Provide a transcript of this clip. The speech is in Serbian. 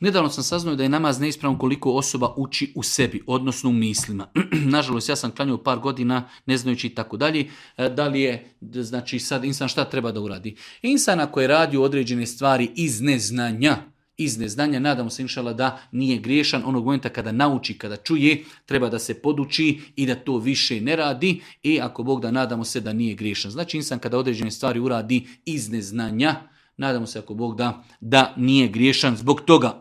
Nedavno sam saznao da je namaz neispravan koliko osoba uči u sebi, odnosno u mislima. Nažalost, ja sam klanjao par godina ne znajući i tako dalje. Da li je, znači sad insan šta treba da uradi? Insan ako je radio određene stvari iz neznanja, nadamo se inšala da nije griješan. Onog momenta kada nauči, kada čuje, treba da se poduči i da to više ne radi. I ako Bog da, nadamo se da nije griješan. Znači insan kada određene stvari uradi iz neznanja, nadamo se ako Bog da nije griješan zbog toga.